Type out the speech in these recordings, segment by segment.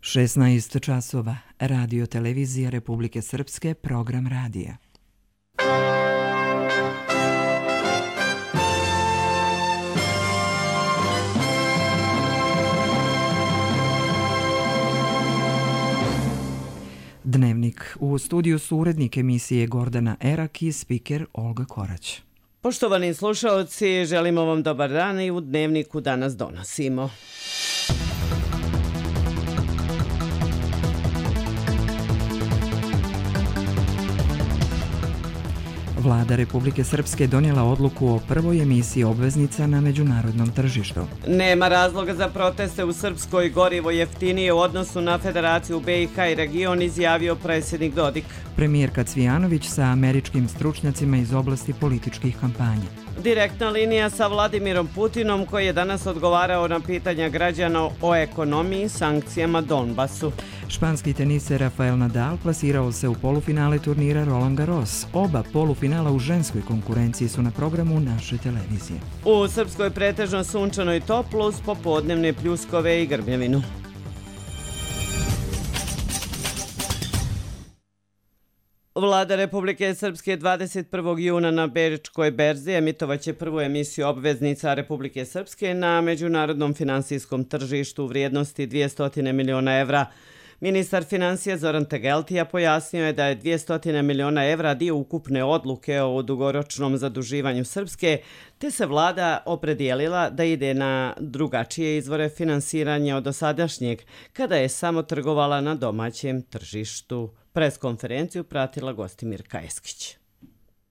16 časova. Radio Televizija Republike Srpske, program radija. Dnevnik. U studiju su urednik emisije Gordana Erak i spiker Olga Korać. Poštovani slušaoci, želimo vam dobar dan i u Dnevniku danas donosimo. Vlada Republike Srpske donijela odluku o prvoj emisiji obveznica na međunarodnom tržištu. Nema razloga za proteste u Srpskoj, gorivo jeftinije u odnosu na Federaciju BiH i region, izjavio predsjednik Dodik. Premijerka Cvijanović sa američkim stručnjacima iz oblasti političkih kampanja. Direktna linija sa Vladimirom Putinom koji je danas odgovarao na pitanja građana o ekonomiji, sankcijama Donbasu. Španski teniser Rafael Nadal plasirao se u polufinale turnira Roland Garros. Oba polufinala u ženskoj konkurenciji su na programu naše televizije. U Srpskoj pretežno sunčano i toplo uz popodnevne pljuskove i grmljavinu. Vlada Republike Srpske 21. juna na Bečkoj berzi emitovaće prvu emisiju obveznica Republike Srpske na međunarodnom finansijskom tržištu u vrijednosti 200 miliona evra. Ministar financija Zoran Tegeltija pojasnio je da je 200 miliona evra dio ukupne odluke o dugoročnom zaduživanju Srpske, te se vlada opredijelila da ide na drugačije izvore finansiranja od dosadašnjeg, kada je samo trgovala na domaćem tržištu. Preskonferenciju pratila Gostimirka Eskić.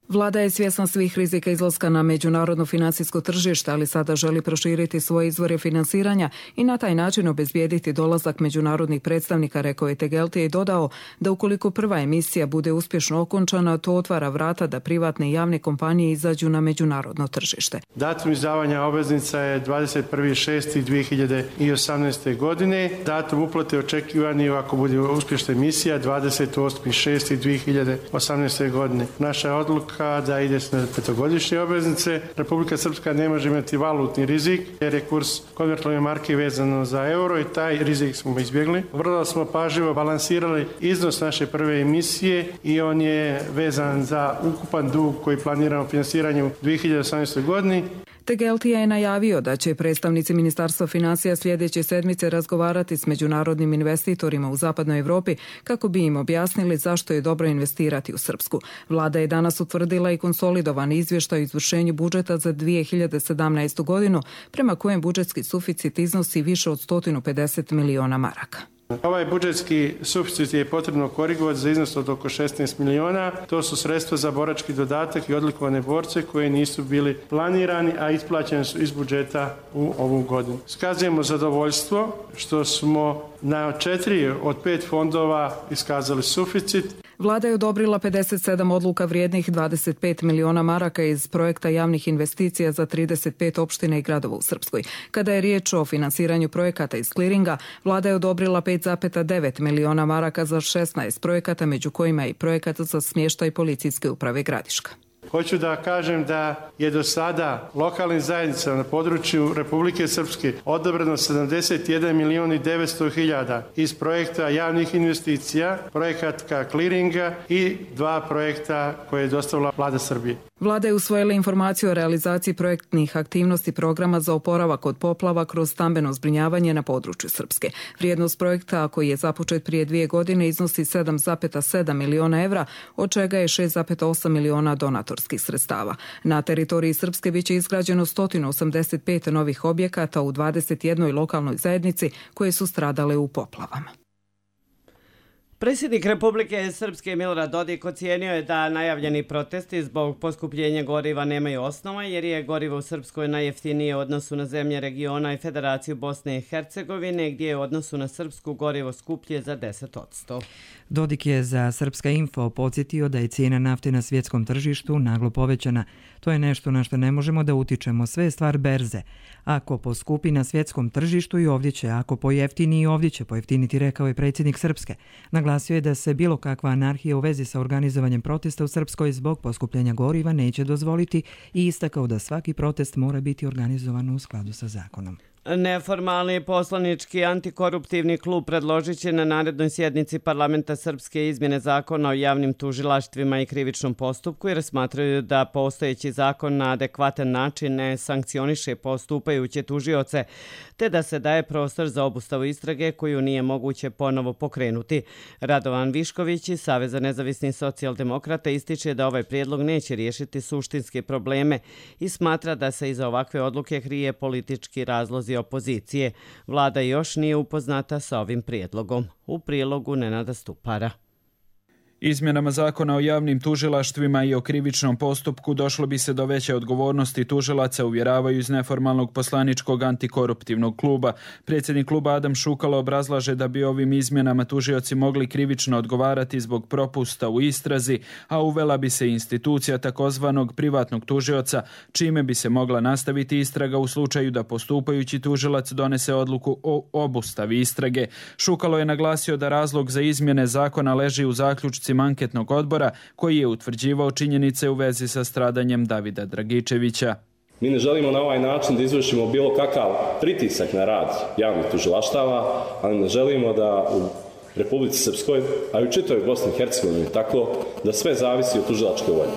Vlada je svjesna svih rizika izlaska na međunarodno financijsko tržište, ali sada želi proširiti svoje izvore finansiranja i na taj način obezbijediti dolazak međunarodnih predstavnika, rekao je Tegeltija i dodao da ukoliko prva emisija bude uspješno okončana, to otvara vrata da privatne i javne kompanije izađu na međunarodno tržište. Datum izdavanja obveznica je 21.6.2018. godine. Datum uplate očekivani, ako bude uspješna emisija, 28.6.2018. godine. Naša odluka da ide na petogodišnje obveznice. Republika Srpska ne može imati valutni rizik jer je kurs konvertibilne marke vezano za euro i taj rizik smo izbjegli. Vrlo smo pažljivo balansirali iznos naše prve emisije i on je vezan za ukupan dug koji planiramo finansiranje u 2018. godini. Tegeltija je najavio da će predstavnici Ministarstva financija sljedeće sedmice razgovarati s međunarodnim investitorima u zapadnoj Evropi kako bi im objasnili zašto je dobro investirati u Srpsku. Vlada je danas utvrdila i konsolidovan izvještaj o izvršenju budžeta za 2017. godinu, prema kojem budžetski suficit iznosi više od 150 miliona maraka. Ovaj budžetski suficit je potrebno korigovati za iznos od oko 16 miliona. To su sredstva za borački dodatak i odlikovane borce koje nisu bili planirani, a isplaćeni su iz budžeta u ovu godinu. Iskazujemo zadovoljstvo što smo na 4 od 5 fondova iskazali suficit. Vlada je odobrila 57 odluka vrijednih 25 miliona maraka iz projekta javnih investicija za 35 opština i gradova u Srpskoj. Kada je riječ o finansiranju projekata iz kliringa, vlada je odobrila 5,9 miliona maraka za 16 projekata, među kojima i projekat za smještaj policijske uprave Gradiška. Hoću da kažem da je do sada lokalnim zajednicama na području Republike Srpske odobreno 71 milion i 900 hiljada iz projekta javnih investicija, projekata kliringa i 2 projekta koje je dostavila Vlada Srbije. Vlada je usvojila informaciju o realizaciji projektnih aktivnosti programa za oporavak od poplava kroz stambeno zbrinjavanje na području Srpske. Vrijednost projekta koji je započet prije 2 godine iznosi 7,7 miliona evra, od čega je 6,8 miliona donatorskih sredstava. Na teritoriji Srpske biće izgrađeno 185 novih objekata u 21 lokalnoj zajednici koje su stradale u poplavama. Predsjednik Republike Srpske Milorad Dodik ocijenio je da najavljeni protesti zbog poskupljenja goriva nemaju osnova jer je gorivo u Srpskoj najjeftinije u odnosu na zemlje regiona i Federaciju Bosne i Hercegovine, gdje je u odnosu na Srpsku gorivo skuplje za 10%. Dodik je za Srpska info podsjetio da je cijena nafte na svjetskom tržištu naglo povećana. To je nešto na što ne možemo da utičemo, sve je stvar berze. Ako poskupi na svjetskom tržištu i ovdje će, ako pojeftini i ovdje će pojeftiniti, rekao je predsjednik Srpske. Naglasio je da se bilo kakva anarhija u vezi sa organizovanjem protesta u Srpskoj zbog poskupljenja goriva neće dozvoliti i istakao da svaki protest mora biti organizovan u skladu sa zakonom. Neformalni poslanički antikoruptivni klub predložit će na narednoj sjednici parlamenta Srpske izmjene zakona o javnim tužilaštvima i krivičnom postupku jer smatraju da postojeći zakon na adekvatan način ne sankcioniše postupajuće tužioce te da se daje prostor za obustavu istrage koju nije moguće ponovo pokrenuti. Radovan Višković iz Saveza nezavisnih socijaldemokrata ističe da ovaj prijedlog neće riješiti suštinske probleme i smatra da se iza ovakve odluke krije politički razlozi opozicije. Vlada još nije upoznata sa ovim prijedlogom. U prilogu Nenada Stupara. Izmjenama zakona o javnim tužilaštvima i o krivičnom postupku došlo bi se do veće odgovornosti tužilaca, uvjeravaju iz neformalnog poslaničkog antikoruptivnog kluba. Predsjednik kluba Adam Šukalo obrazlaže da bi ovim izmjenama tužioci mogli krivično odgovarati zbog propusta u istrazi, a uvela bi se institucija takozvanog privatnog tužioca, čime bi se mogla nastaviti istraga u slučaju da postupajući tužilac donese odluku o obustavi istrage. Šukalo je naglasio da razlog za izmjene zakona leži u zaključcima anketnog odbora koji je utvrđivao činjenice u vezi sa stradanjem Davida Dragičevića. Mi ne želimo na ovaj način da izvršimo bilo kakav pritisak na rad javnih tužilaštava, ali ne želimo da u Republici Srpskoj, a i u čitavoj Bosni i Hercegovini tako da sve zavisi od tužilačke volje.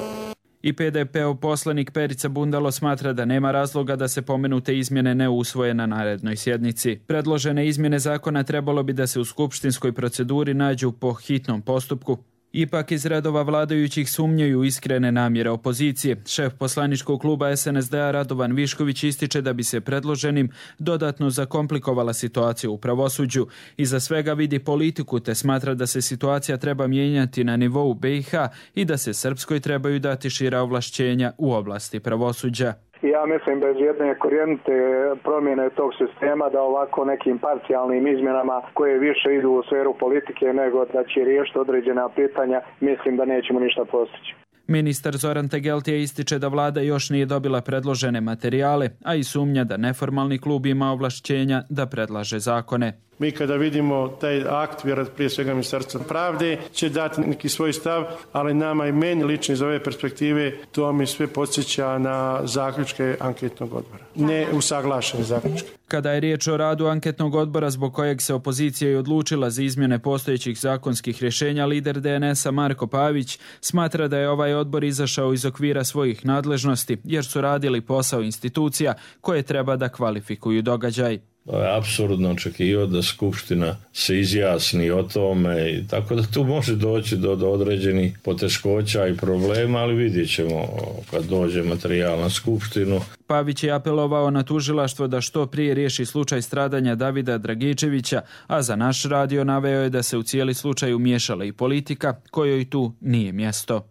I PDP-ov poslanik Perica Bundalo smatra da nema razloga da se pomenute izmjene ne usvoje na narednoj sjednici. Predložene izmjene zakona trebalo bi da se u skupštinskoj proceduri nađu po hitnom postupku. Ipak iz redova vladajućih sumnjaju iskrene namjere opozicije. Šef poslaničkog kluba SNSD-a Radovan Višković ističe da bi se predloženim dodatno zakomplikovala situacija u pravosuđu. Iza svega vidi politiku te smatra da se situacija treba mijenjati na nivou BiH i da se Srpskoj trebaju dati šira ovlašćenja u oblasti pravosuđa. Ja mislim bez jedne korijenite promjene tog sistema da ovako nekim parcijalnim izmjenama koje više idu u sferu politike nego da će riješiti određena pitanja, mislim da nećemo ništa postići. Ministar Zoran Tegeltije ističe da vlada još nije dobila predložene materijale, a i sumnja da neformalni klub ima ovlašćenja da predlaže zakone. Mi kada vidimo taj akt, vjerojatno prije svega Ministarstva pravde će dati neki svoj stav, ali nama i meni lično iz ove perspektive to mi sve podsjeća na zaključke anketnog odbora. Ne usaglašene zaključke. Kada je riječ o radu anketnog odbora zbog kojeg se opozicija i odlučila za izmjene postojećih zakonskih rješenja, lider DNS-a Marko Pavić smatra da je ovaj odbor izašao iz okvira svojih nadležnosti jer su radili posao institucija koje treba da kvalifikuju događaj. Je apsurdno očekivati da Skupština se izjasni o tome i tako da tu može doći do određenih poteškoća i problema, ali vidjet ćemo kad dođe materijal na Skupštinu. Pavić je apelovao na tužilaštvo da što prije riješi slučaj stradanja Davida Dragičevića, a za naš radio naveo je da se u cijeli slučaj umiješala i politika, kojoj tu nije mjesto.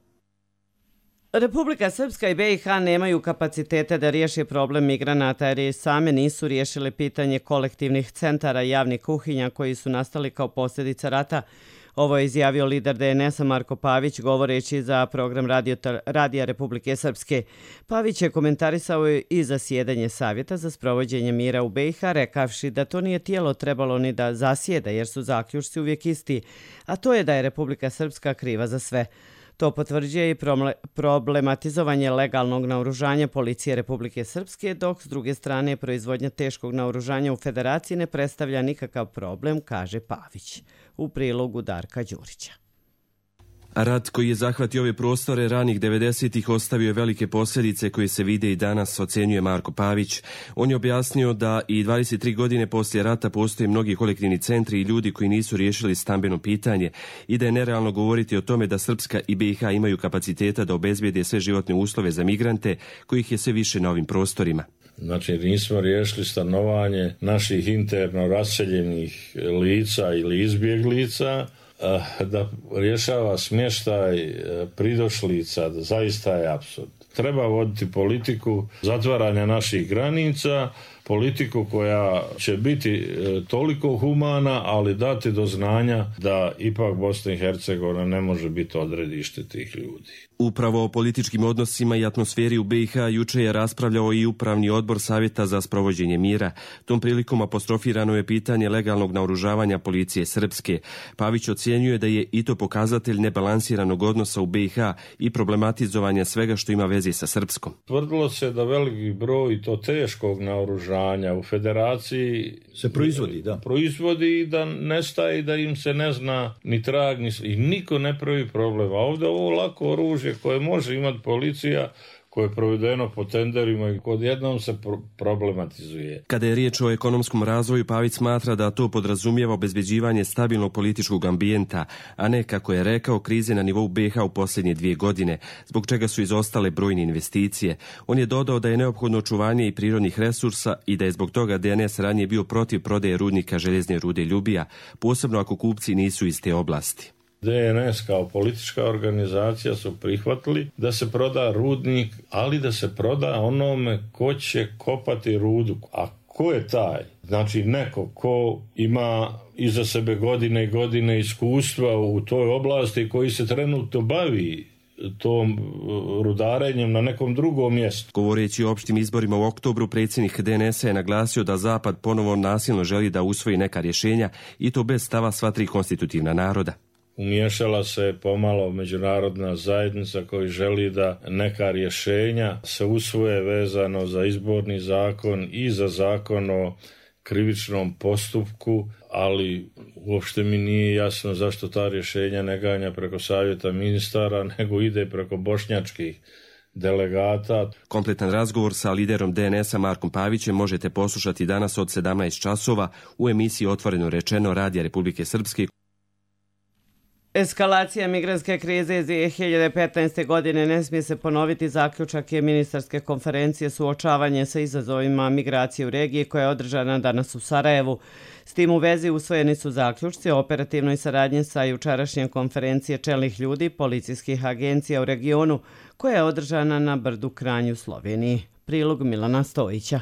Republika Srpska i BiH nemaju kapacitete da riješe problem migranata jer same nisu riješile pitanje kolektivnih centara i javnih kuhinja koji su nastali kao posljedica rata. Ovo je izjavio lider DNS-a Marko Pavić govoreći za program Radija Republike Srpske. Pavić je komentarisao i zasjedanje Savjeta za sprovođenje mira u BiH, rekavši da to nije tijelo trebalo ni da zasjeda jer su zaključci uvijek isti, a to je da je Republika Srpska kriva za sve. To potvrđuje i problematizovanje legalnog naoružanja policije Republike Srpske, dok s druge strane proizvodnja teškog naoružanja u Federaciji ne predstavlja nikakav problem, kaže Pavić. U prilogu Darka Đurića. Rat koji je zahvatio ove prostore ranih 90-ih ostavio je velike posljedice koje se vide i danas, ocenjuje Marko Pavić. On je objasnio da i 23 godine poslije rata postoje mnogi kolektivni centri i ljudi koji nisu riješili stambeno pitanje i da je nerealno govoriti o tome da Srpska i BiH imaju kapaciteta da obezbijede sve životne uslove za migrante kojih je sve više na ovim prostorima. Znači nismo riješili stanovanje naših interno raseljenih lica ili izbjeglica, da rješava smještaj pridošlica, da zaista je apsurd. Treba voditi politiku zatvaranja naših granica, politiku koja će biti toliko humana, ali dati do znanja da ipak Bosna i Hercegovina ne može biti odredište tih ljudi. Upravo o političkim odnosima i atmosferi u BiH juče je raspravljao i Upravni odbor Savjeta za sprovođenje mira. Tom prilikom apostrofirano je pitanje legalnog naoružavanja policije Srpske. Pavić ocjenjuje da je i to pokazatelj nebalansiranog odnosa u BiH i problematizovanja svega što ima veze sa Srpskom. Tvrdilo se da veliki broj to teškog naoružavanja naoružanja u federaciji se proizvodi i da nestaje, da im se ne zna ni trag, i niko ne pravi problem. A ovdje ovo lako oružje koje može imati policija, koje je provedeno po tenderima i odjednom se problematizuje. Kada je riječ o ekonomskom razvoju, Pavić smatra da to podrazumijeva obezbeđivanje stabilnog političkog ambijenta, a ne, kako je rekao, krize na nivou BiH u posljednje 2 godine, zbog čega su izostale brojne investicije. On je dodao da je neophodno očuvanje i prirodnih resursa i da je zbog toga DNS ranije bio protiv prodaje rudnika željezne rude Ljubija, posebno ako kupci nisu iz te oblasti. DNS kao politička organizacija su prihvatili da se proda rudnik, ali da se proda onome ko će kopati rudu. A ko je taj? Znači neko ko ima iza sebe godine i godine iskustva u toj oblasti, koji se trenutno bavi tom rudarenjem na nekom drugom mjestu. Govoreći o opštim izborima u oktobru, predsjednik DNS-a je naglasio da Zapad ponovo nasilno želi da usvoji neka rješenja, i to bez stava sva 3 konstitutivna naroda. Umiješala se pomalo međunarodna zajednica koji želi da neka rješenja se usvoje vezano za izborni zakon i za zakon o krivičnom postupku, ali uopšte mi nije jasno zašto ta rješenja ne ganja preko savjeta ministara, nego ide preko bošnjačkih delegata. Kompletan razgovor sa liderom DNS-a Markom Pavićem možete poslušati danas od 17 časova u emisiji Otvoreno rečeno Radija Republike Srpske. Eskalacija migrantske krize iz 2015. godine ne smije se ponoviti, zaključak je ministarske konferencije suočavanje sa izazovima migracije u regiji koja je održana danas u Sarajevu. S tim u vezi usvojeni su zaključci o operativnoj saradnji sa jučerašnje konferencije čelnih ljudi policijskih agencija u regionu koja je održana na Brdu Kranju, Sloveniji. Prilog Milana Stojića.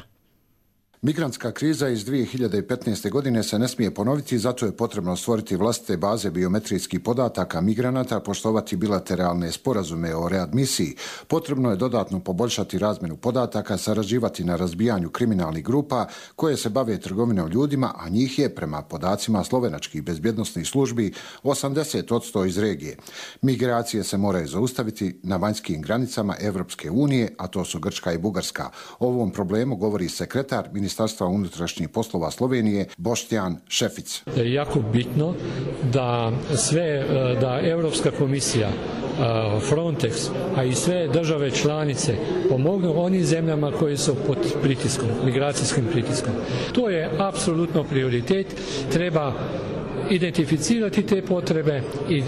Migrantska kriza iz 2015. godine se ne smije ponoviti, zato je potrebno stvoriti vlastite baze biometrijskih podataka migranata, poštovati bilateralne sporazume o readmisiji. Potrebno je dodatno poboljšati razmjenu podataka, sarađivati na razbijanju kriminalnih grupa koje se bave trgovinom ljudima, a njih je, prema podacima slovenačkih bezbjednosnih službi, 80% iz regije. Migracije se moraju zaustaviti na vanjskim granicama Evropske unije, a to su Grčka i Bugarska. O ovom problemu govori sekretar Ministarstva unutrašnjih poslova Slovenije Boštjan Šefic. Jako bitno da Europska komisija, Frontex, a i sve države članice pomognu onim zemljama koji su pod pritiskom, migracijskim pritiskom. To je apsolutno prioritet. Treba identificirati te potrebe i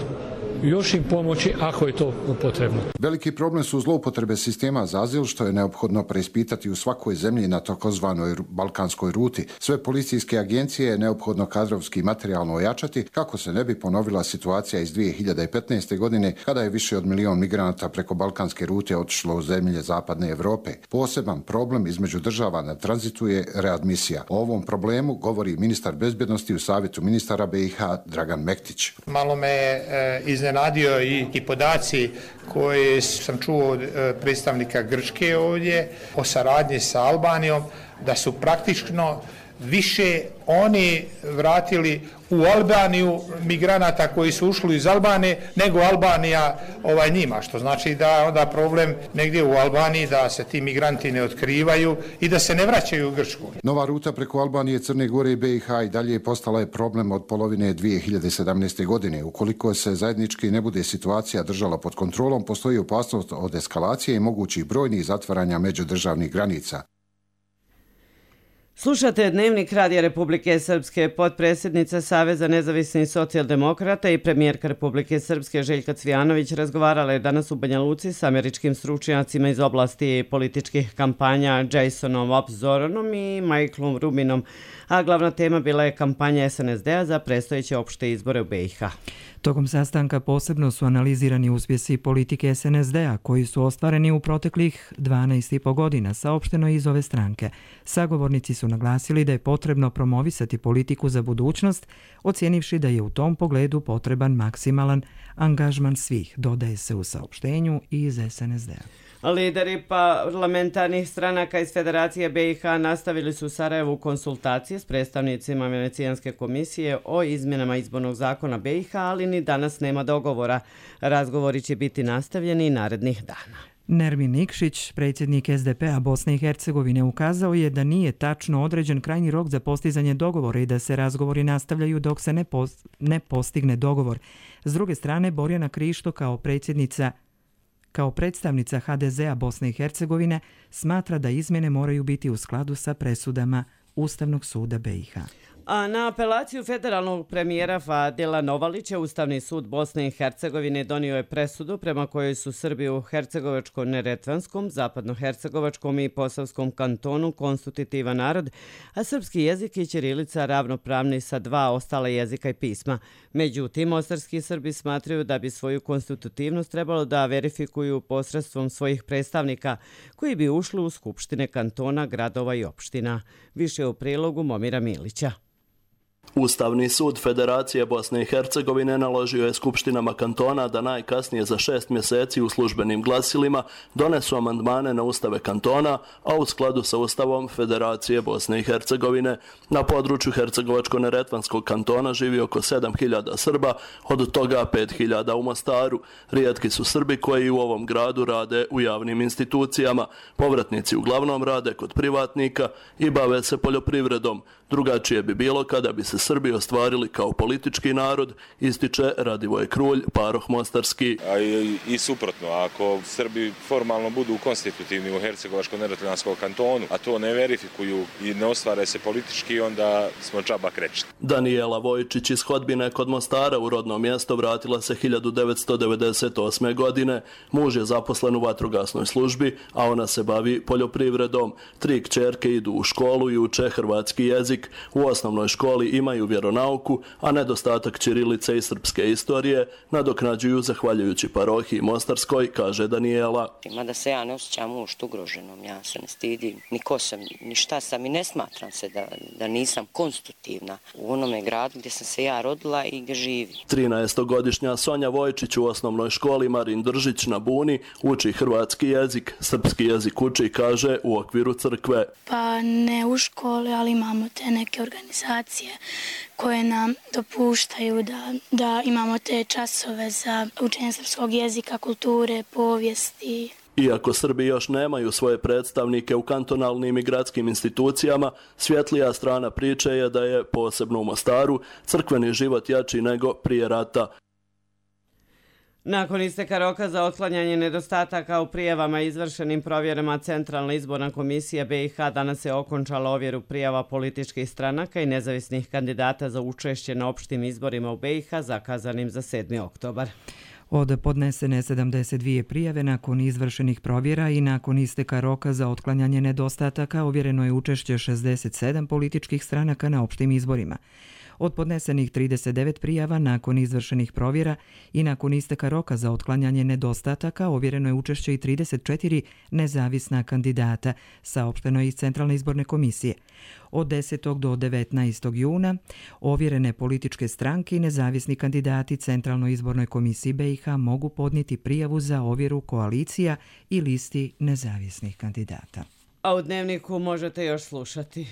još im pomoći ako je to potrebno. Veliki problem su zloupotrebe sistema za azil, što je neophodno preispitati u svakoj zemlji na takozvanoj balkanskoj ruti. Sve policijske agencije je neophodno kadrovski i materijalno ojačati kako se ne bi ponovila situacija iz 2015. godine kada je više od 1 milion migranata preko balkanske rute otišlo u zemlje zapadne Europe. Poseban problem između država na tranzitu je readmisija. O ovom problemu govori ministar bezbjednosti u Savjetu ministara BiH Dragan Mektić. Malo me iznenadio i podaci koje sam čuo od predstavnika Grčke ovdje o saradnji sa Albanijom, da su praktično više oni vratili u Albaniju migranata koji su ušli iz Albanije nego Albanija njima, što znači da onda problem negdje u Albaniji da se ti migranti ne otkrivaju i da se ne vraćaju u Grčku. Nova ruta preko Albanije, Crne Gore i BiH i dalje postala je problem od polovine 2017. godine. Ukoliko se zajednički ne bude situacija držala pod kontrolom, postoji opasnost od eskalacije i mogućih brojnih zatvaranja međudržavnih granica. Slušate Dnevnik Radija Republike Srpske. Potpredsjednica Saveza nezavisnih socijaldemokrata i premijerka Republike Srpske Željka Cvijanović razgovarala je danas u Banja Luci s američkim stručnjacima iz oblasti političkih kampanja Jasonom Obzoronom i Michaelom Rubinom, a glavna tema bila je kampanja SNSD-a za predstojeće opšte izbore u BiH. Tokom sastanka posebno su analizirani uspjesi politike SNSD-a koji su ostvareni u proteklih 12,5 godina, saopšteno iz ove stranke. Sagovornici su naglasili da je potrebno promovisati politiku za budućnost, ocijenivši da je u tom pogledu potreban maksimalan angažman svih, dodaje se u saopštenju iz SNSD-a. Lideri parlamentarnih stranaka iz Federacije BiH nastavili su u Sarajevu konsultacije s predstavnicima Venecijanske komisije o izmjenama izbornog zakona BiH, ali ni danas nema dogovora. Razgovori će biti nastavljeni narednih dana. Nermin Nikšić, predsjednik SDP-a Bosne i Hercegovine, ukazao je da nije tačno određen krajnji rok za postizanje dogovora i da se razgovori nastavljaju dok se ne postigne dogovor. S druge strane, Borjana Krišto kao predstavnica HDZ-a Bosne i Hercegovine smatra da izmjene moraju biti u skladu sa presudama Ustavnog suda BiH. A na apelaciju federalnog premijera Fadila Novalića, Ustavni sud Bosne i Hercegovine donio je presudu prema kojoj su Srbi u Hercegovačko-Neretvanskom, Zapadno-Hercegovačkom i Posavskom kantonu konstitutivan narod, a srpski jezik i ćirilica ravnopravni sa dva ostala jezika i pisma. Međutim, mostarski Srbi smatraju da bi svoju konstitutivnost trebalo da verifikuju posredstvom svojih predstavnika koji bi ušli u skupštine kantona, gradova i opština. Više u prilogu Momira Milića. Ustavni sud Federacije Bosne i Hercegovine naložio je skupštinama kantona da najkasnije za 6 mjeseci u službenim glasilima donesu amandmane na ustave kantona, a u skladu sa Ustavom Federacije Bosne i Hercegovine. Na području Hercegovačko-Neretvanskog kantona živi oko 7.000 Srba, od toga 5.000 u Mostaru. Rijetki su Srbi koji u ovom gradu rade u javnim institucijama. Povratnici uglavnom rade kod privatnika i bave se poljoprivredom. Drugačije bi bilo kada bi se Srbi ostvarili kao politički narod, ističe Radivoj Krulj, paroh mostarski. A i suprotno, ako Srbi formalno budu konstitutivni u Hercegovačko-Neretvanskom kantonu, a to ne verifikuju i ne ostvare se politički, onda smo džaba krečni. Danijela Vojčić iz Hodbine kod Mostara u rodno mjesto vratila se 1998. godine. Muž je zaposlen u vatrogasnoj službi, a ona se bavi poljoprivredom. 3 kćerke idu u školu i uče hrvatski jezik. U osnovnoj školi imaju vjeronauku, a nedostatak ćirilice i srpske istorije nadoknađuju zahvaljujući parohiji Mostarskoj, kaže Danijela. Mada se ja ne osjećam uopšte ugroženom, ja se ne stidim, ni ko sam, ni šta sam i ne smatram se da nisam konstitutivna u onome gradu gdje sam se ja rodila i gdje živim. 13-godišnja Sonja Vojčić u osnovnoj školi Marin Držić na Buni uči hrvatski jezik. Srpski jezik uči, kaže, u okviru crkve. Pa ne u školi, ali imamo te neke organizacije koje nam dopuštaju da imamo te časove za učenje srpskog jezika, kulture, povijesti. Iako Srbi još nemaju svoje predstavnike u kantonalnim i gradskim institucijama, svjetlija strana priče je da je, posebno u Mostaru, crkveni život jači nego prije rata. Nakon isteka roka za otklanjanje nedostataka u prijavama izvršenim provjerama Centralna izborna komisija BiH danas je okončala ovjeru prijava političkih stranaka i nezavisnih kandidata za učešće na opštim izborima u BiH zakazanim za 7. oktobar. Od podnesene 72 prijave nakon izvršenih provjera i nakon isteka roka za otklanjanje nedostataka ovjereno je učešće 67 političkih stranaka na opštim izborima. Od podnesenih 39 prijava nakon izvršenih provjera i nakon isteka roka za otklanjanje nedostataka ovjereno je učešće i 34 nezavisna kandidata, saopšteno je iz Centralne izborne komisije. Od 10. do 19. juna ovjerene političke stranke i nezavisni kandidati Centralnoj izbornoj komisiji BiH mogu podnijeti prijavu za ovjeru koalicija i listi nezavisnih kandidata. A u Dnevniku možete još slušati.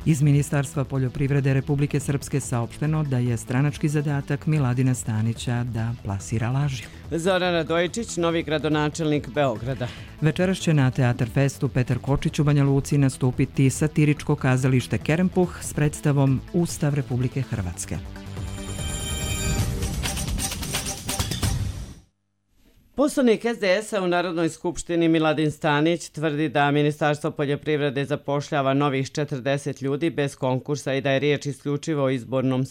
Iz Ministarstva poljoprivrede Republike Srpske saopšteno da je stranački zadatak Miladina Stanića da plasira laži. Zoran Radojičić, novi gradonačelnik Beograda. Večeras će na Teatar Festu Petar Kočić u Banja Luci nastupiti satiričko kazalište Kerempuh s predstavom Ustav Republike Hrvatske. Poslanik SDS-a u Narodnoj skupštini Miladin Stanić tvrdi da Ministarstvo poljoprivrede zapošljava novih 40 ljudi bez konkursa i da je riječ isključivo o izbornom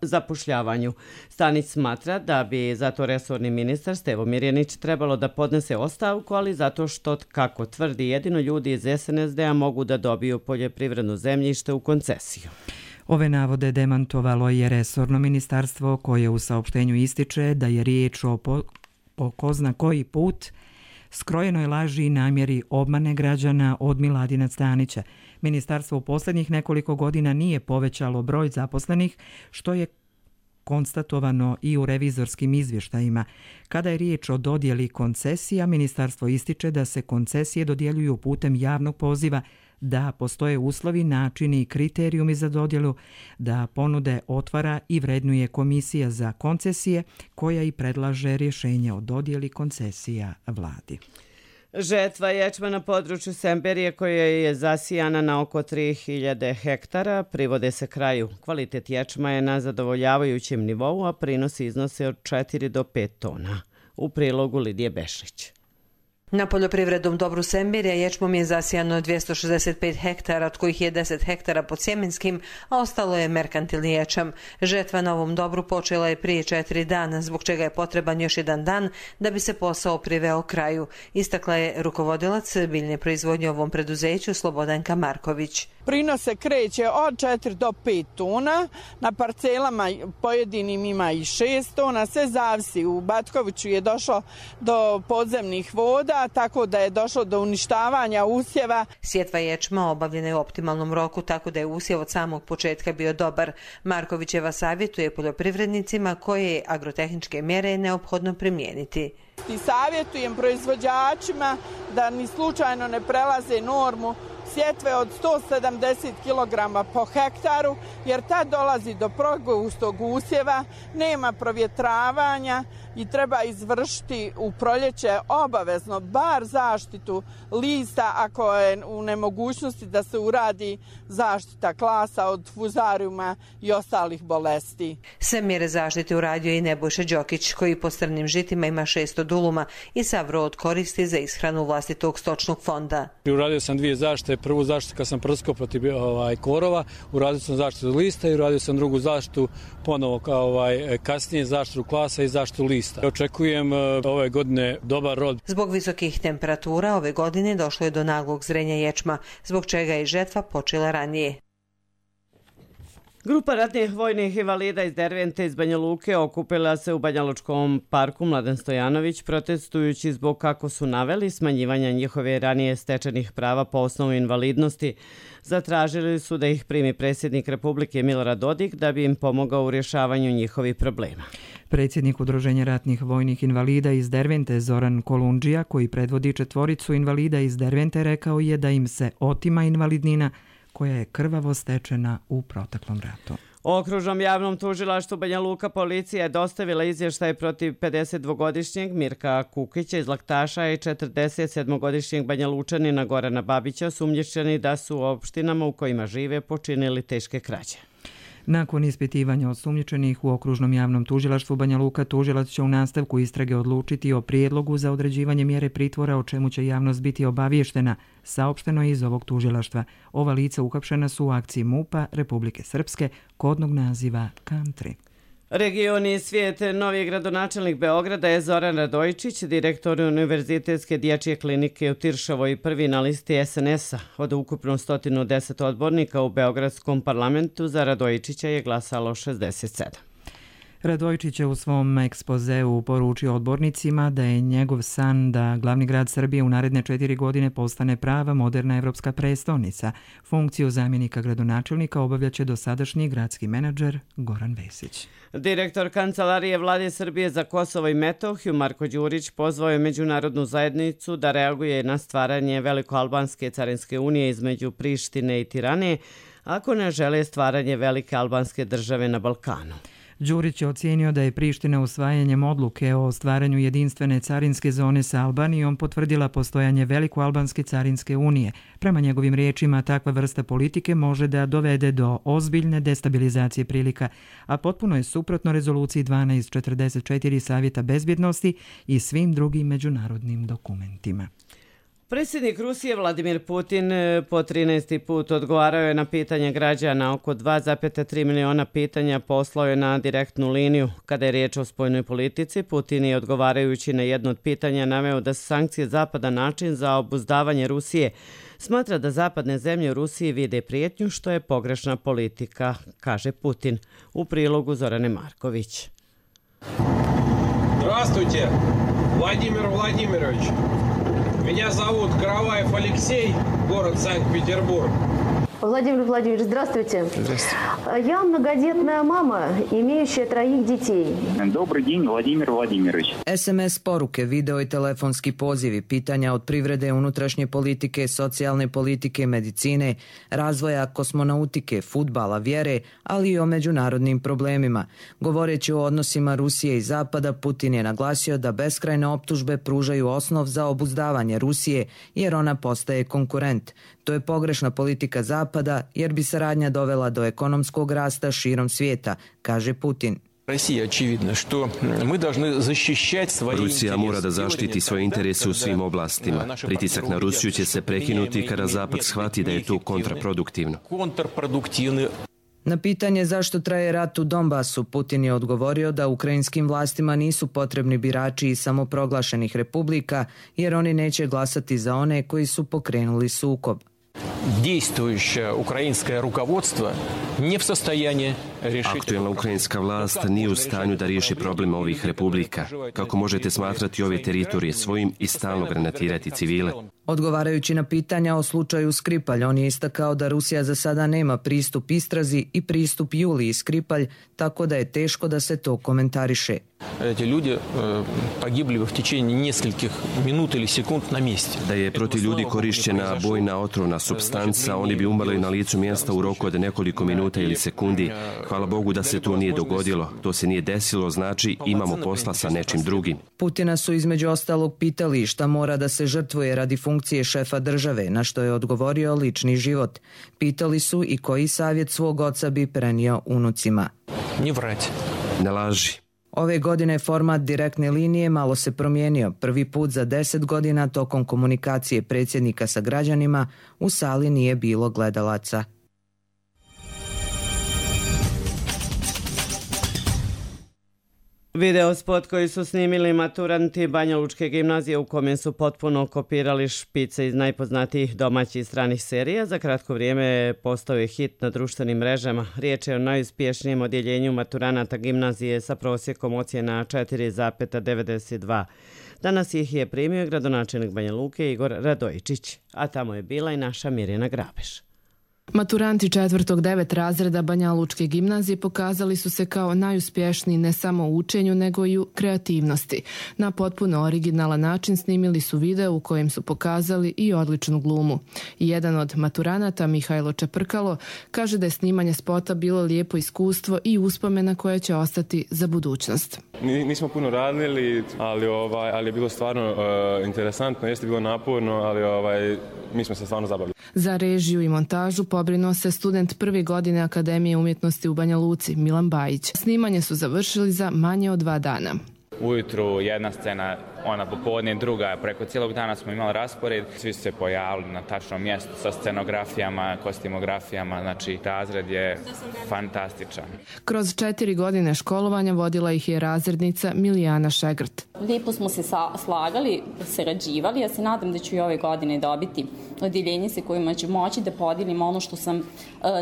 zapošljavanju. Stanić smatra da bi zato resorni ministar Stevo Mirjanić trebalo da podnese ostavku, ali zato što, kako tvrdi, jedino ljudi iz SNSD-a mogu da dobiju poljoprivredno zemljište u koncesiju. Ove navode demantovalo je resorno ministarstvo koje u saopštenju ističe da je riječ o ko zna koji put skrojenoj laži i namjeri obmane građana od Miladina Stanića. Ministarstvo u posljednjih nekoliko godina nije povećalo broj zaposlenih, što je konstatovano i u revizorskim izvještajima. Kada je riječ o dodjeli koncesija, ministarstvo ističe da se koncesije dodjeljuju putem javnog poziva da postoje uslovi, načini i kriterijumi za dodjelu, da ponude otvara i vrednuje Komisija za koncesije koja i predlaže rješenje o dodjeli koncesija vladi. Žetva ječma na području Semberije koja je zasijana na oko 3000 hektara privode se kraju. Kvalitet ječma je na zadovoljavajućem nivou, a prinosi iznose od 4 do 5 tona. U prilogu Lidije Bešlić. Na poljoprivrednom dobru Semberija ječmom je zasijano 265 hektara, od kojih je 10 hektara pod sjemenskim, a ostalo je merkantilni ječam. Žetva na ovom dobru počela je prije 4 dana, zbog čega je potreban još jedan dan da bi se posao priveo kraju. Istakla je rukovodilac biljne proizvodnje u ovom preduzeću Slobodanka Marković. Prinos se kreće od 4 do 5 tona, na parcelama pojedinim ima i 6 tona, sve zavisi. U Batkoviću je došlo do podzemnih voda, tako da je došlo do uništavanja usjeva. Sjetva ječma obavljena je u optimalnom roku, tako da je usjev od samog početka bio dobar. Markovićeva savjetuje poljoprivrednicima koje je agrotehničke mjere neophodno primijeniti. I savjetujem proizvođačima da ni slučajno ne prelaze normu sjetve od 170 kg po hektaru, jer tad dolazi do progustog usjeva, nema provjetravanja i treba izvršiti u proljeće obavezno bar zaštitu lista ako je u nemogućnosti da se uradi zaštita klasa od fuzariuma i ostalih bolesti. Sve mjere zaštite uradio i Nebojša Đokić, koji po strnim žitima ima 600 duluma i sav rod koristi za ishranu vlastitog stočnog fonda. Uradio sam 2 zaštite. Prvu zaštitu kad sam prskao protiv korova, uradio sam zaštitu lista i uradio sam drugu zaštitu ponovo kasnije zaštitu klasa i zaštitu lista. Očekujem ove godine dobar rod. Zbog visokih temperatura ove godine došlo je do naglog zrenja ječma, zbog čega je žetva počela ranije. Grupa ratnih vojnih invalida iz Dervente iz Banja Luke okupila se u Banjalučkom parku Mladen Stojanović protestujući zbog, kako su naveli, smanjivanja njihove ranije stečenih prava po osnovu invalidnosti. Zatražili su da ih primi predsjednik Republike Milorad Dodik da bi im pomogao u rješavanju njihovih problema. Predsjednik Udruženja ratnih vojnih invalida iz Dervente Zoran Kolundžija, koji predvodi 4 invalida iz Dervente, rekao je da im se otima invalidnina koja je krvavo stečena u proteklom ratu. Okružnom javnom tužilaštvu Banja Luka policija je dostavila izvještaj protiv 52-godišnjeg Mirka Kukića iz Laktaša i 47-godišnjeg Banja Lučanina Gorana Babića, osumnjičeni da su u opštinama u kojima žive počinili teške krađe. Nakon ispitivanja osumnjičenih u Okružnom javnom tužilaštvu Banja Luka, tužilac će u nastavku istrage odlučiti o prijedlogu za određivanje mjere pritvora, o čemu će javnost biti obavještena, saopšteno je iz ovog tužilaštva. Ova lica uhapšena su u akciji MUP-a Republike Srpske kodnog naziva Country. Region i svijet. Novi gradonačelnik Beograda je Zoran Radojičić, direktor Univerzitetske dječje klinike u Tiršovoj, prvi na listi SNS-a. Od ukupno 110 odbornika u Beogradskom parlamentu za Radojičića je glasalo 67. Radojičić je u svom ekspozeu poručio odbornicima da je njegov san da glavni grad Srbije u naredne 4 godine postane prava moderna evropska prestolnica. Funkciju zamjenika gradonačelnika obavljaće dosadašnji gradski menadžer Goran Vesić. Direktor Kancelarije Vlade Srbije za Kosovo i Metohiju Marko Đurić pozvao je međunarodnu zajednicu da reaguje na stvaranje Velikoalbanske carinske unije između Prištine i Tirane, ako ne žele stvaranje velike albanske države na Balkanu. Đurić je ocijenio da je Priština usvajanjem odluke o stvaranju jedinstvene carinske zone sa Albanijom potvrdila postojanje Velikoalbanske carinske unije. Prema njegovim riječima, takva vrsta politike može da dovede do ozbiljne destabilizacije prilika, a potpuno je suprotno rezoluciji 1244 Savjeta bezbjednosti i svim drugim međunarodnim dokumentima. Predsjednik Rusije Vladimir Putin po 13. put odgovarao je na pitanja građana. Oko 2,3 miliona pitanja poslao je na direktnu liniju. Kada je riječ o spoljnoj politici, Putin je odgovarajući na jedno od pitanja naveo da su sankcije Zapada način za obuzdavanje Rusije. Smatra da zapadne zemlje u Rusiji vide prijetnju, što je pogrešna politika, kaže Putin. U prilogu Zorane Marković. Здравствуйте, Владимир Владимирович. Меня зовут Караваев Алексей, город Санкт-Петербург. Владимир Владимирович, здравствуйте. Здравствуйте. Я многодетная мама, имеющая 3 детей. Добрый день, Владимир Владимирович. SMS poruke, video i telefonski pozivi, pitanja od privrede, unutrašnje politike, socijalne politike, medicine, razvoja kosmonautike, fudbala, vjere, ali i o međunarodnim problemima. Govoreći o odnosima Rusije i Zapada, Putin je naglasio da beskrajne optužbe pružaju osnov za obuzdavanje Rusije jer ona postaje konkurent. To je pogrešna politika Zapada jer bi saradnja dovela do ekonomskog rasta širom svijeta, kaže Putin. Rusija mora da zaštiti svoje interese u svim oblastima. Pritisak na Rusiju će se prekinuti kada Zapad shvati da je to kontraproduktivno. Na pitanje zašto traje rat u Donbasu, Putin je odgovorio da ukrajinskim vlastima nisu potrebni birači iz samoproglašenih republika jer oni neće glasati za one koji su pokrenuli sukob. Aktuelna ukrajinska vlast nije u stanju da riješi problem ovih republika. Kako možete smatrati ove teritorije svojim i stalno granatirati civile? Odgovarajući na pitanja o slučaju Skripalj, on je istakao da Rusija za sada nema pristup istrazi i pristup Juliji Skripalj, tako da je teško da se to komentariše. Da je protiv ljudi korišćena bojna otrovna supstanca, oni bi umrli na licu mjesta u roku od nekoliko minuta ili sekundi. Hvala Bogu da se to nije dogodilo. To se nije desilo, znači imamo posla sa nečim drugim. Putina su između ostalog pitali šta mora da se žrtvuje radi funkcije šefa države, na što je odgovorio lični život. Pitali su i koji savjet svog oca bi prenio unucima. Ne laži. Ove godine format direktne linije malo se promijenio. Prvi put za 10 godina tokom komunikacije predsjednika sa građanima u sali nije bilo gledalaca. Video spot koji su snimili maturanti Banja Lučke gimnazije u kome su potpuno kopirali špice iz najpoznatijih domaćih i stranih serija, za kratko vrijeme postao je hit na društvenim mrežama. Riječ je o najuspješnijem odjeljenju maturanata gimnazije sa prosjekom ocjena 4,92. Danas ih je primio gradonačelnik Banja Luke Igor Radojičić, a tamo je bila i naša Mirjana Grabeš. Maturanti 4. 9. razreda Banja Lučke gimnazije pokazali su se kao najuspješniji ne samo u učenju nego i u kreativnosti. Na potpuno originalan način snimili su video u kojem su pokazali i odličnu glumu. Jedan od maturanata, Mihajlo Čeprkalo, kaže da je snimanje spota bilo lijepo iskustvo i uspomena koja će ostati za budućnost. Nismo puno radili, ali je bilo stvarno interesantno, jeste bilo naporno, ali mi smo se stvarno zabavili. Za režiju i montažu pobrinuo se student 1. godine Akademije umjetnosti u Banja Luci, Milan Bajić. Snimanje su završili za manje od 2 dana. Ujutru jedna scena, ona popodne druga, preko cijelog dana smo imali raspored. Svi su se pojavili na tačnom mjestu sa scenografijama, kostimografijama, znači razred je fantastičan. Kroz 4 godine školovanja vodila ih je razrednica Milijana Šegrt. Lijepo smo se slagali, sarađivali, ja se nadam da ću i ove godine dobiti odjeljenje se kojima ću moći da podijelim ono što sam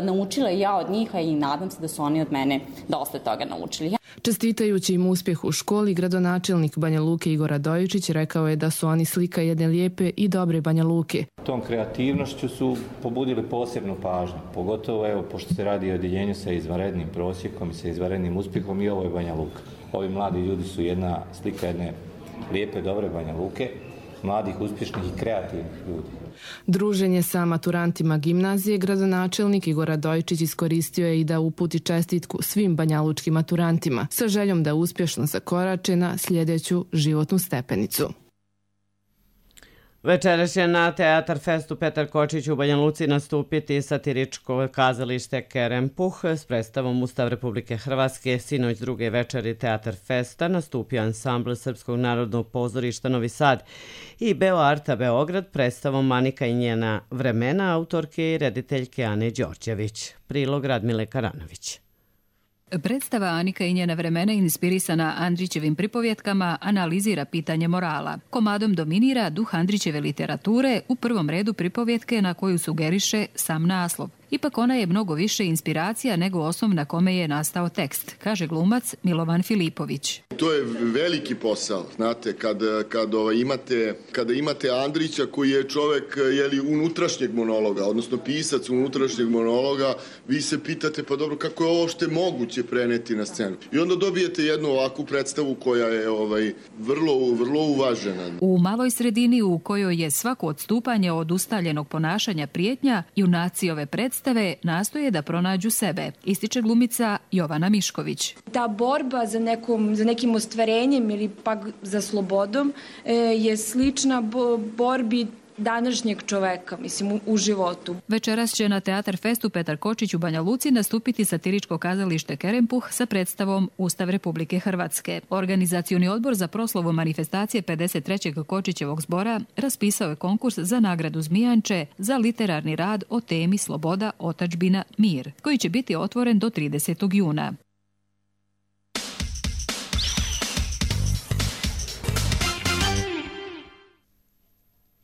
naučila ja od njih, i nadam se da su oni od mene dosta toga naučili. Čestitajući im uspjeh u školi, gradonačelnik Banja Luke Igor Radojičić rekao je da su oni slika jedne lijepe i dobre Banja Luke. Tom kreativnošću su pobudili posebnu pažnju, pogotovo pošto se radi o odjeljenju sa izvanrednim prosjekom i sa izvanrednim uspjehom, i ovo je Banja Luka. Ovi mladi ljudi su jedna slika jedne lijepe, dobre Banja Luke, mladih, uspješnih i kreativnih ljudi. Druženje sa maturantima gimnazije gradonačelnik Igor Radojičić iskoristio je i da uputi čestitku svim banjalučkim maturantima sa željom da uspješno zakorače na sljedeću životnu stepenicu. Večeras će na Teatar Festu Petar Kočić u Banja Luci nastupiti satiričko kazalište Kerempuh s predstavom Ustav Republike Hrvatske. Sinoć druge večeri Teatar Festa nastupio ansambl Srpskog narodnog pozorišta Novi Sad i Beoarta Beograd predstavom Anika i njena vremena autorke i rediteljke Ane Đorđević. Prilog Radmile Karanović. Predstava Anika i njena vremena, inspirisana Andrićevim pripovjetkama, analizira pitanje morala. Komadom dominira duh Andrićeve literature, u prvom redu pripovjetke na koju sugeriše sam naslov. Ipak ona je mnogo više inspiracija nego osnov na kome je nastao tekst, kaže glumac Milovan Filipović. To je veliki posao, znate, kada imate Andrića koji je čovek unutrašnjeg monologa, odnosno pisac unutrašnjeg monologa, vi se pitate pa dobro kako je ovo što je moguće preneti na scenu. I onda dobijete jednu ovakvu predstavu koja je vrlo uvažena. U maloj sredini u kojoj je svako odstupanje od ustaljenog ponašanja prijetnja, junaci ove predstave nastoje da pronađu sebe, ističe glumica Jovana Mišković. Ta borba za nekim ostvarenjem ili pak za slobodom je slična borbi današnjeg čoveka, mislim, u životu. Večeras će na Teatar Festu Petar Kočić u Banja Luci nastupiti satiričko kazalište Kerempuh sa predstavom Ustav Republike Hrvatske. Organizacioni odbor za proslavu manifestacije 53. Kočićevog zbora raspisao je konkurs za nagradu Zmijanče za literarni rad o temi Sloboda, otadžbina, mir, koji će biti otvoren do 30. juna.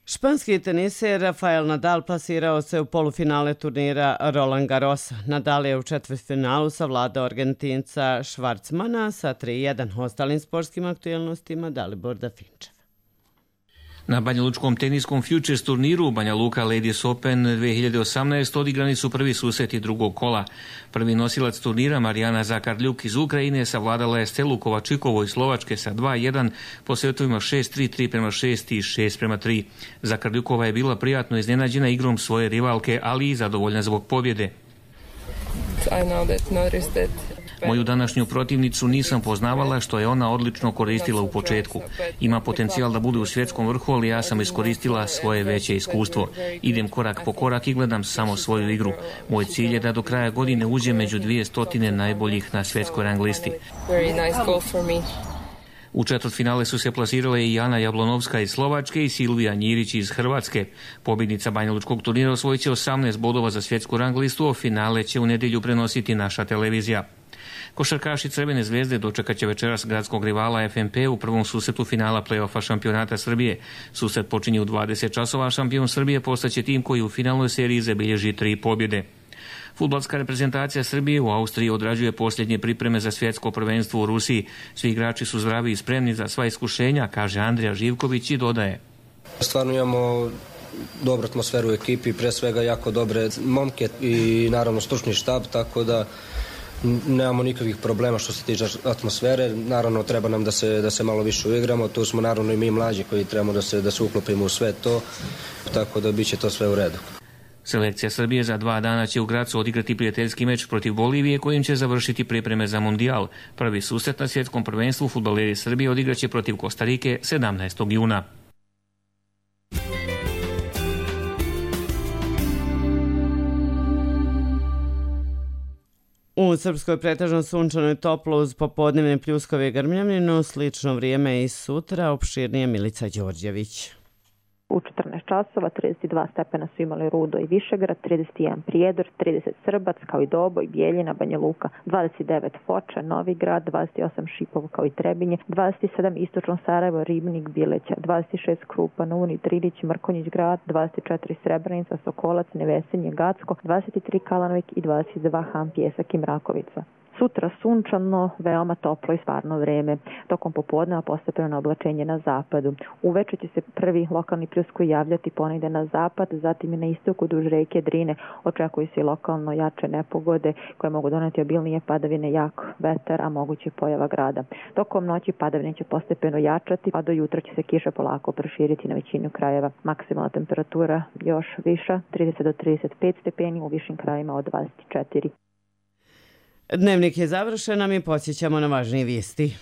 Španski teniser Rafael Nadal plasirao se u polufinale turnira Roland Garrosa. Nadal je u četvrtfinalu savladao Argentinca Schwarzmana sa 3-1. Ostalim sportskim aktualnostima Dalibor Dafinčev. Na banjalučkom teniskom Futures turniru Banja Luka Ladies Open 2018 odigrani su prvi susreti drugog kola. Prvi nosilac turnira Marijana Zakarljuk iz Ukrajine savladala je Stelu Kovačikovu iz Slovačke sa 2-1 po setovima 6-3, 3-6 i 6-3. Zakarljukova je bila prijatno iznenađena igrom svoje rivalke, ali i zadovoljna zbog pobjede. Moju današnju protivnicu nisam poznavala, što je ona odlično koristila u početku. Ima potencijal da bude u svjetskom vrhu, ali ja sam iskoristila svoje veće iskustvo. Idem korak po korak i gledam samo svoju igru. Moj cilj je da do kraja godine uđem među 200 najboljih na svjetskoj rang listi. U četvrtfinale su se plasirale i Ana Jablonovska iz Slovačke i Silvija Njirić iz Hrvatske. Pobjednica banjalučkog turnira osvojit će 18 bodova za svjetsku rang listu, a finale će u nedjelju prenositi naša televizija. Košarkaši Crvene zvezde dočekat će večeras gradskog rivala FNP u prvom susretu finala play-offa šampionata Srbije. Susret počinje u 20 časova, šampion Srbije postaće tim koji u finalnoj seriji zabilježi 3 pobjede. Fudbalska reprezentacija Srbije u Austriji odrađuje posljednje pripreme za svjetsko prvenstvo u Rusiji. Svi igrači su zdravi i spremni za sva iskušenja, kaže Andrija Živković i dodaje. Stvarno imamo dobru atmosferu u ekipi, pre svega jako dobre momke i naravno stručni štab, tako da nemamo nikakvih problema što se tiče atmosfere. Naravno treba nam da se malo više uigramo, tu smo naravno i mi mlađi koji trebamo da se uklopimo u sve to, tako da bit će to sve u redu. Selekcija Srbije za 2 dana će u Gracu odigrati prijateljski meč protiv Bolivije kojim će završiti pripreme za Mundijal. Prvi susret na svjetskom prvenstvu fudbaleri Srbije odigraće protiv Kostarike 17. juna. U Srpskoj pretežno sunčano i toplo uz popodnevne pljuskove i grmljavinu, slično vrijeme i sutra, opširnije Milica Đorđević. U 14 časova 32 stepena su imali Rudo i Višegrad, 31 Prijedor, 30 Srbac kao i Doboj, Bijeljina, Banja Luka, 29 Foča, Novi Grad, 28 Šipovo kao i Trebinje, 27 Istočno Sarajevo, Ribnik, Bileća, 26 Krupa, Uni, Trilić, Mrkonjić Grad, 24 Srebrenica, Sokolac, Nevesinje, Gacko, 23 Kalanovik i 22 Han, Pjesak i Mrakovica. Sutra sunčano, veoma toplo i stvarno vreme. Tokom popodneva postepeno oblačenje na zapadu. Uveče će se prvi lokalni pljuskovi javljati ponegde na zapad, zatim i na istoku duž reke Drine. Očekuju se i lokalno jače nepogode koje mogu doneti obilnije padavine, jak vetar, a moguće pojava grada. Tokom noći padavine će postepeno jačati, a do jutra će se kiša polako proširiti na većinu krajeva. Maksimalna temperatura još viša, 30 do 35 stepeni, u višim krajima od 24. Dnevnik je završen, a mi podsjećamo na važnije vijesti.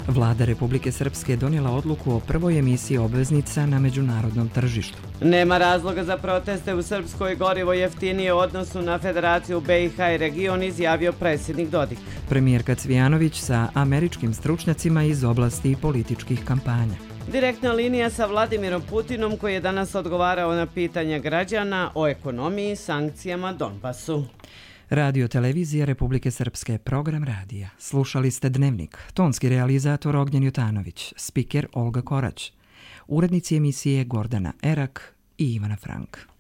Vlada Republike Srpske donijela odluku o prvoj emisiji obveznica na međunarodnom tržištu. Nema razloga za proteste u Srpskoj, gorivo jeftinije u odnosu na Federaciju BiH i region, izjavio predsjednik Dodik. Premijerka Cvijanović sa američkim stručnjacima iz oblasti političkih kampanja. Direktna linija sa Vladimirom Putinom koji je danas odgovarao na pitanja građana o ekonomiji, sankcijama, Donbasu. Radio Televizija Republike Srpske, program radija. Slušali ste Dnevnik, tonski realizator Ognjen Jutanović, spiker Olga Korać, urednici emisije Gordana Erak i Ivana Frank.